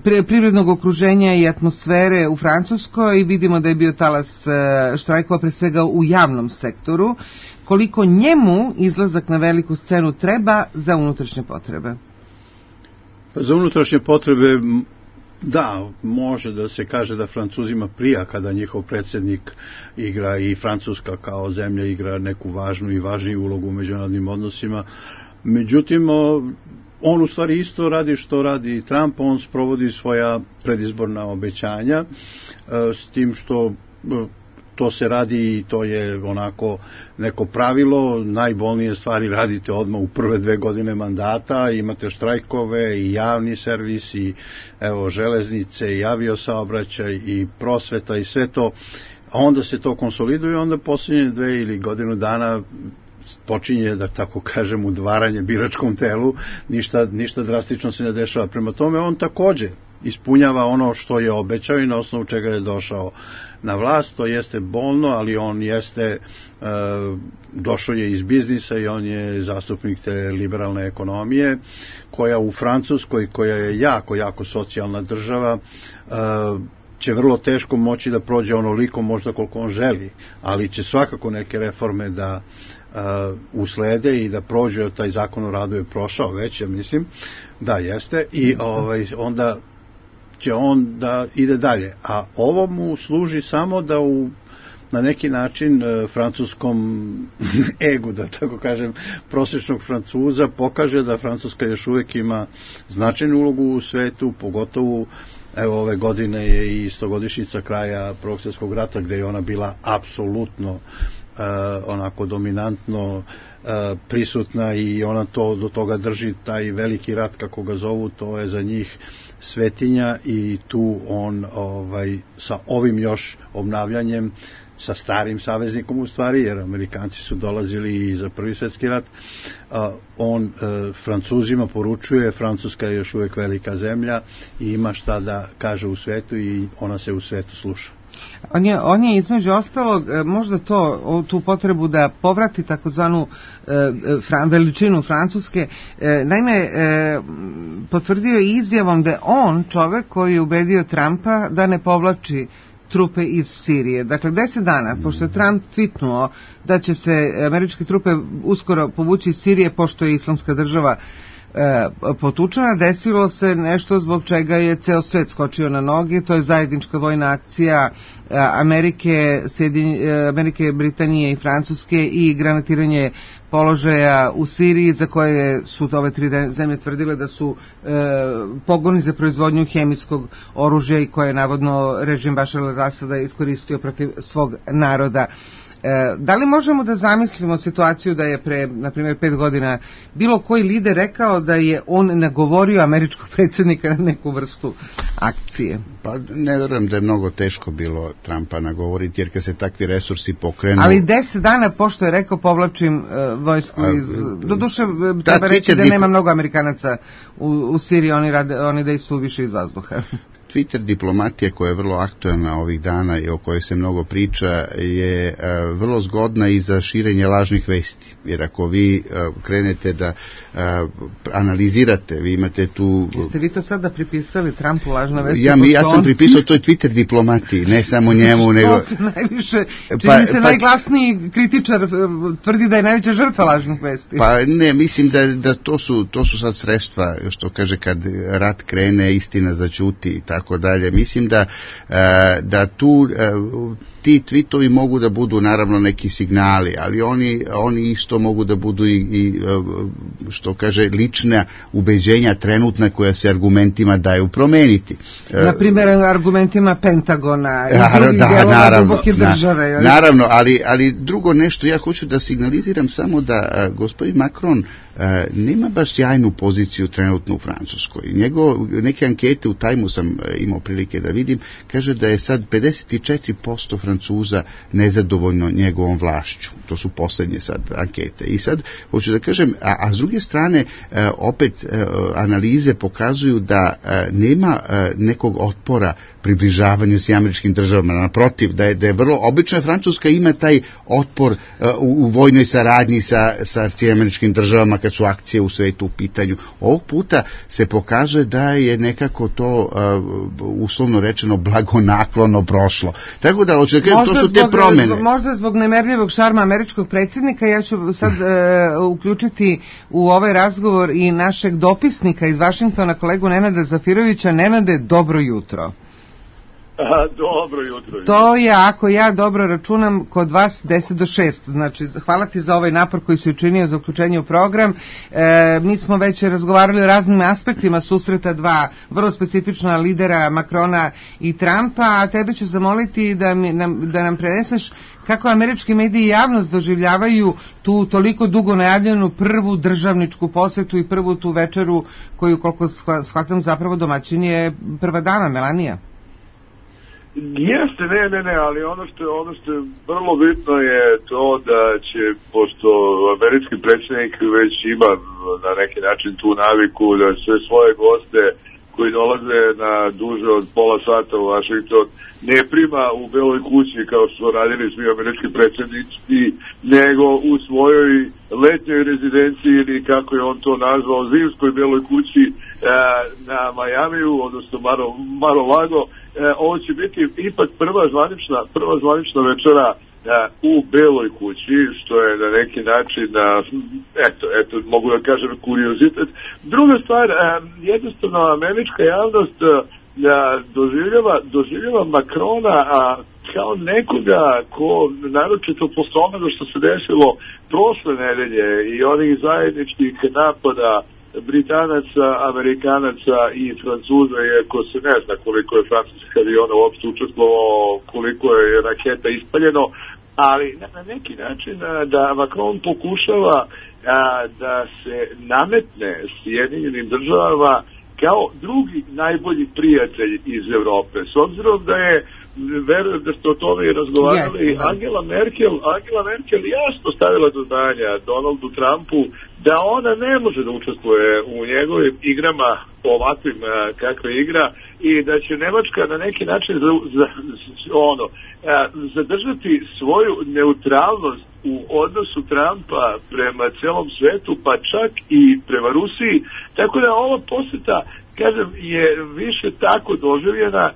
pre, privrednog okruženja i atmosfere u Francuskoj i vidimo da je bio talas e, štrajkova pre svega u javnom sektoru. Koliko njemu izlazak na veliku scenu treba za unutrašnje potrebe? Za unutrašnje potrebe da, može da se kaže da Francuzima prija kada njihov predsjednik igra i Francuska kao zemlja igra neku važnu i važniju ulogu u međunarodnim odnosima. Međutim, on u stvari isto radi što radi Trump, on sprovodi svoja predizborna obećanja, s tim što to se radi i to je onako neko pravilo, najbolnije stvari radite odmah u prve dve godine mandata, imate štrajkove i javni servis i evo železnice i aviosaobraćaj i prosveta i sve to, a onda se to konsoliduje i onda posljednje dve ili godinu dana počinje, da tako kažem, udvaranje biračkom telu, ništa, ništa drastično se ne dešava. Prema tome on također ispunjava ono što je obećao i na osnovu čega je došao na vlast. To jeste bolno, ali on jeste e, došao je iz biznisa i on je zastupnik te liberalne ekonomije koja u Francuskoj, koja je jako, jako socijalna država, e, će vrlo teško moći da prođe onoliko možda koliko on želi, ali će svakako neke reforme da uh, uslede i da prođe. Taj zakon o radu je prošao već, ja mislim, da jeste, i ovaj, onda će on da ide dalje. A ovo mu služi samo da u na neki način uh, francuskom egu, da tako kažem, prosječnog Francuza pokaže da Francuska još uvijek ima značajnu ulogu u svetu, pogotovo evo ove godine je i stogodišnjica kraja Prvog svjetskog rata gdje je ona bila apsolutno uh, onako dominantno uh, prisutna i ona to do toga drži, taj veliki rat kako ga zovu, to je za njih svetinja i tu on ovaj, sa ovim još obnavljanjem, sa starim saveznikom u stvari, jer Amerikanci su dolazili i za Prvi svjetski rat, uh, on uh, Francuzima poručuje, Francuska je još uvijek velika zemlja i ima šta da kaže u svetu i ona se u svetu sluša. On je, on je između ostalog možda to, tu potrebu da povrati takozvanu e, fran, veličinu Francuske, e, naime e, potvrdio je izjavom da je on čovek koji je ubedio Trumpa da ne povlači trupe iz Sirije. Dakle, deset dana, pošto je Trump tweetnuo da će se američke trupe uskoro povući iz Sirije, pošto je Islamska država potučena, desilo se nešto zbog čega je ceo svet skočio na noge, to je zajednička vojna akcija Amerike, Sjedinj, Amerike, Britanije i Francuske i granatiranje položaja u Siriji, za koje su ove tri zemlje tvrdile da su e, pogoni za proizvodnju hemijskog oružja i koje je navodno režim Bašara al-Asada iskoristio protiv svog naroda. E, da li možemo da zamislimo situaciju da je pre, na primjer, pet godina bilo koji lider rekao da je on nagovorio američkog predsjednika na neku vrstu akcije? Pa ne verujem da je mnogo teško bilo Trumpa nagovoriti, jer kad se takvi resursi pokrenu... Ali deset dana pošto je rekao povlačim uh, vojsku iz... Doduše, treba reći da dip... nema mnogo Amerikanaca u, u Siriji, oni, rade, oni dejstvuju više iz vazduha. Twitter diplomatija, koja je vrlo aktualna ovih dana i o kojoj se mnogo priča, je uh, vrlo zgodna i za širenje lažnih vesti. Jer ako vi uh, krenete da uh, analizirate, vi imate tu... Jeste vi to sada pripisali Trumpu lažna vesti? Ja, mi, ja sam on... pripisao toj Twitter diplomatiji, ne samo njemu, nego... Što se najviše, čini pa, se pa, najglasniji kritičar tvrdi da je najveća žrtva lažnih vesti. Pa ne, mislim da, da to, su, to su sad sredstva, što kaže, kad rat krene, istina zaćuti i tako dalje. Mislim da, da tu ti tweetovi mogu da budu naravno neki signali, ali oni, oni isto mogu da budu i, i što kaže lična ubeđenja trenutna koja se argumentima daju promeniti. Na primjer argumentima Pentagona i Naravno, drugih da, dijelova naravno, duboke države. Na, naravno, ali, ali drugo nešto, ja hoću da signaliziram samo da uh, gospodin Macron uh, nema baš sjajnu poziciju trenutno u Francuskoj. Njego, neke ankete u Tajmu sam uh, imao prilike da vidim, kaže da je sad pedeset četiri posto Francuza nezadovoljno njegovom vlašću. To su poslednje sad ankete. I sad, hoću da kažem, a, a s druge strane, uh, opet uh, analize pokazuju da uh, nema uh, nekog otpora približavanju s američkim državama. Naprotiv, da je, da je vrlo, obično Francuska ima taj otpor uh, u, u vojnoj saradnji sa, sa američkim državama kad su akcije u svetu u pitanju. Ovog puta se pokazuje da je nekako to uh, uslovno rečeno blagonaklono prošlo. Tako da, očekujem, to su te zbog, promene. Možda zbog nemerljivog šarma američkog predsjednika, ja ću sad uh, uključiti u ovaj razgovor i našeg dopisnika iz Vašingtona, kolegu Nenada Zafirovića. Nenade, dobro jutro. Aha, dobro jutro. To je, ako ja dobro računam, kod vas deset do šest. Znači, hvala ti za ovaj napor koji si učinio za uključenje u program. E, mi smo već razgovarali o raznim aspektima susreta dva vrlo specifična lidera, Macrona i Trumpa, a tebe ću zamoliti da, mi, nam, da nam preneseš kako američki mediji i javnost doživljavaju tu toliko dugo najavljenu prvu državničku posetu i prvu tu večeru koju, koliko shvatam, zapravo domaćin je prva dama, Melanija. Jeste, ne, ne, ne, ali ono što je, ono što je vrlo bitno je to da će, pošto američki predsjednik već ima na neki način tu naviku da sve svoje goste koji dolaze na duže od pola sata u Washington ne prima u Beloj kući kao što su radili svi američki predsjednici, nego u svojoj letnjoj rezidenciji ili kako je on to nazvao, zimskoj Beloj kući e, na Majamiju, odnosno Maro, Mar-a-Lago. E, ovo će biti ipak prva zvanična, prva zvanična večera e, u Beloj kući, što je na neki način, e, eto, eto, mogu da kažem kuriozitet. Druga stvar, e, jednostavno američka javnost e, doživljava, doživljava Macrona a, kao nekoga ko, naročito posle onoga što se desilo prošle nedelje i onih zajedničkih napada Britanaca, Amerikanaca i Francuza, iako se ne zna koliko je francuskih aviona uopšte učestvovalo, koliko je raketa ispaljeno, ali na, na neki način a, da Macron pokušava a, da se nametne Sjedinjenim državama kao drugi najbolji prijatelj iz Evrope. S obzirom da je, verujem da ste o tome i razgovarali, yes, Angela Merkel, Angela Merkel jasno stavila do znanja Donaldu Trumpu da ona ne može da učestvuje u njegovim igrama ovakvim kakve igra i da će Nemačka na neki način za, za, ono, zadržati svoju neutralnost u odnosu Trumpa prema celom svetu, pa čak i prema Rusiji. Tako da ova poseta kažem, je više tako doživljena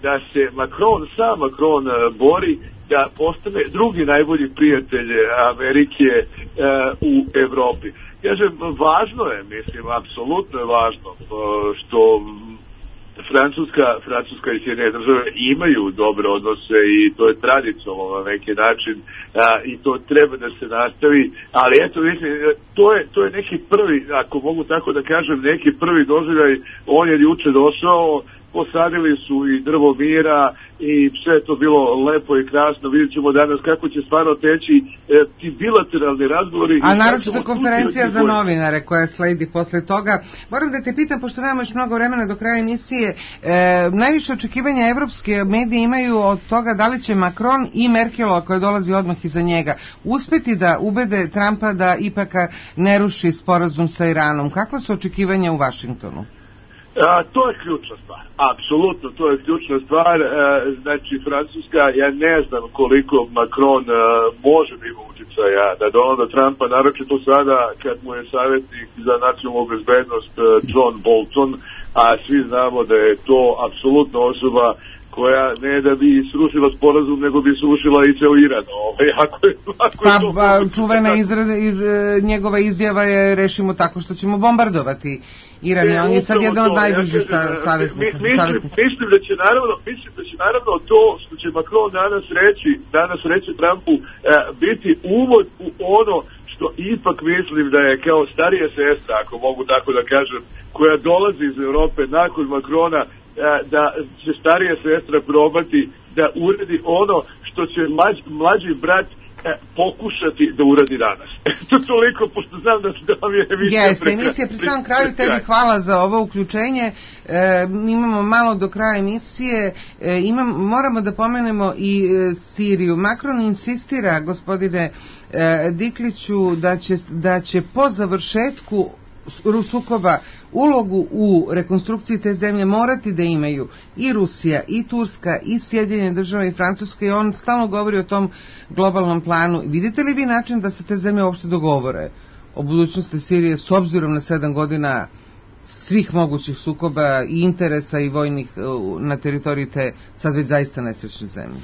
da se Macron, sam Macron bori da postane drugi najbolji prijatelj Amerike u Evropi. Kažem, važno je, mislim, apsolutno je važno što Francuska, Francuska i Sjedinjene države imaju dobre odnose i to je tradicionalno na neki način a, i to treba da se nastavi, ali eto, mislim, to je, to je neki prvi, ako mogu tako da kažem, neki prvi doživljaj. On je juče došao, posadili su i drvo mira i sve je to bilo lepo i krasno. Vidjet ćemo danas kako će stvarno teći e, ti bilateralni razgovori. A naročito konferencija za novinare koja sledi posle toga. Moram da te pitam, pošto nemamo još mnogo vremena do kraja emisije, e, najviše očekivanja evropske medije imaju od toga da li će Macron i Merkelova, koja dolazi odmah iza njega, uspeti da ubede Trumpa da ipak ne ruši sporazum sa Iranom. Kakva su očekivanja u Vašingtonu? A, to je ključna stvar, apsolutno to je ključna stvar. E, znači Francuska, ja ne znam koliko Macron e, može da ima uticaja na Donalda Trumpa, naročito sada kad mu je savjetnik za nacionalnu bezbednost e, John Bolton, a svi znamo da je to apsolutno osoba koja ne da bi srušila sporazum, nego bi srušila i ceo Iran. Ovaj, ako je, ako pa, je to... pa čuvena izrada, iz, njegova izjava je rešimo tako što ćemo bombardovati Iran, e, on je sad jedan od najbližih ja saveznika. Mislim, mislim da će naravno, mislim da će naravno to što će Macron danas reći, danas reći Trumpu, e, biti uvod u ono što ipak mislim da je kao starija sestra, ako mogu tako da kažem, koja dolazi iz Europe nakon Macrona, e, da će starija sestra probati da uredi ono što će mlađ, mlađi brat E, pokušati da uradi danas. To toliko, pošto znam da, da vam je emisija Jeste, preka, emisija pri samom kraju, tebi hvala za ovo uključenje. E, imamo malo do kraja emisije, e, imam, moramo da pomenemo i e, Siriju. Macron insistira, gospodine e, Dikliću, da će, da će po završetku sukoba ulogu u rekonstrukciji te zemlje morati da imaju i Rusija, i Turska, i Sjedinjene države, i Francuska, i on stalno govori o tom globalnom planu. Vidite li vi način da se te zemlje uopšte dogovore o budućnosti Sirije s obzirom na sedam godina svih mogućih sukoba i interesa i vojnih na teritoriji te sad već zaista nesrećne zemlje?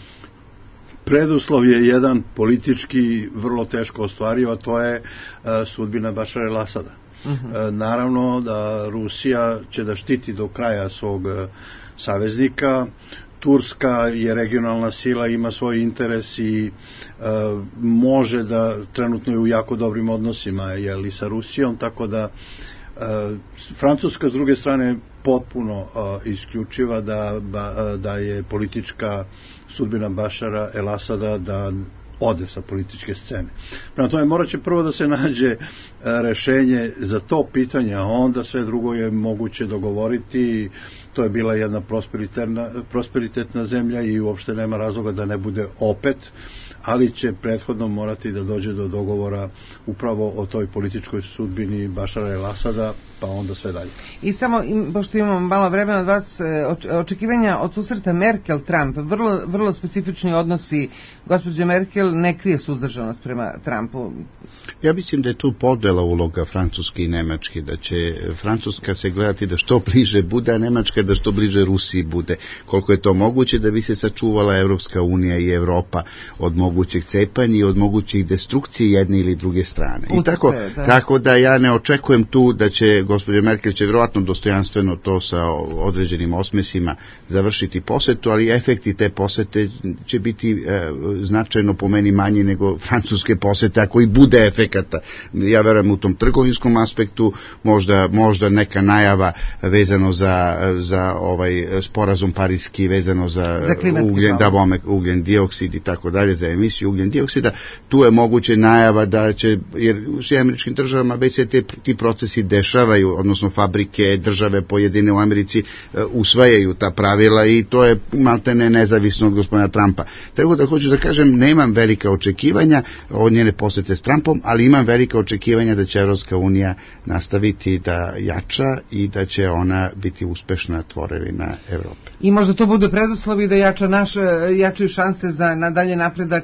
Preduslov je jedan politički vrlo teško ostvariv, a to je uh, sudbina Bašara el-Asada. Uh-huh. Naravno da Rusija će da štiti do kraja svog saveznika. Turska je regionalna sila, ima svoj interes i uh, može da trenutno je u jako dobrim odnosima jeli, sa Rusijom, tako da uh, Francuska s druge strane potpuno uh, isključiva da, ba, da je politička sudbina Bašara el-Asada da ode sa političke scene. Prema tome, morat će prvo da se nađe rešenje za to pitanje, a onda sve drugo je moguće dogovoriti. To je bila jedna prosperitetna, prosperitetna zemlja i uopšte nema razloga da ne bude opet, ali će prethodno morati da dođe do dogovora upravo o toj političkoj sudbini Bašara el-Asada, pa onda sve dalje. I samo, pošto imamo malo vremena od vas, očekivanja od susreta Merkel-Trump, vrlo, vrlo specifični odnosi. Gospođa Merkel ne krije suzdržanost prema Trumpu. Ja mislim da je tu podela uloga Francuske i Nemačke, da će Francuska se gledati da što bliže bude, a Nemačka da što bliže Rusiji bude. Koliko je to moguće da bi se sačuvala Evropska unija i Evropa od mogućeg cepanja i od mogućih destrukcije jedne ili druge strane. I tako, da. tako da ja ne očekujem tu da će gospođa Merkel će vjerojatno dostojanstveno to sa određenim osmesima završiti posetu, ali efekti te posete će biti e, značajno po meni manji nego francuske posete, ako i bude efekata. Ja verujem u tom trgovinskom aspektu, možda, možda neka najava vezano za, za ovaj sporazum pariski, vezano za, za ugljen, da, bome, ugljen dioksid i tako dalje, za emisiju ugljen dioksida. Tu je moguće najava da će, jer u svim američkim državama već se te, ti procesi dešavaju, odnosno fabrike, države pojedine u Americi uh, usvajaju ta pravila i to je maltene nezavisno od gospodina Trumpa. Tako da hoću da kažem, nemam velika očekivanja od njene posete s Trumpom, ali imam velika očekivanja da će Evropska unija nastaviti da jača i da će ona biti uspešna tvorevina Evrope. I možda to bude preduslov i da jača naš, jačaju šanse za nadalje napredak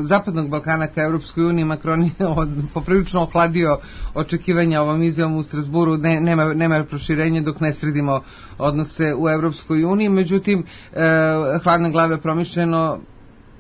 Zapadnog Balkana ka Evropskoj uniji. Macron je od, poprilično ohladio očekivanja ovom izjavom u Strasburu, ne, nema, nema proširenja dok ne sredimo odnose u Evropskoj uniji, međutim hladne glave promišljeno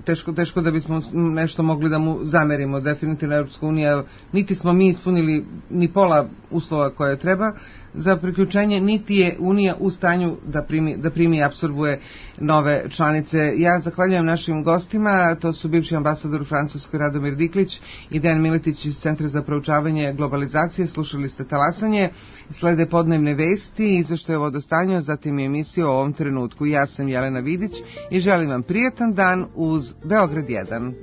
Teško, teško da bismo nešto mogli da mu zamerimo. Definitivno Evropska unija, niti smo mi ispunili ni pola uslova koje treba za priključenje, niti je Unija u stanju da primi, da primi i apsorbuje nove članice. Ja zahvaljujem našim gostima, to su bivši ambasador u Francuskoj Radomir Diklić i Dejan Miletić iz Centra za proučavanje globalizacije. Slušali ste Talasanje, slede podnevne vesti, izveštaje o vodostanju, zatim je emisija o ovom trenutku. Ja sam Jelena Vidić i želim vam prijatan dan uz Beograd jedan.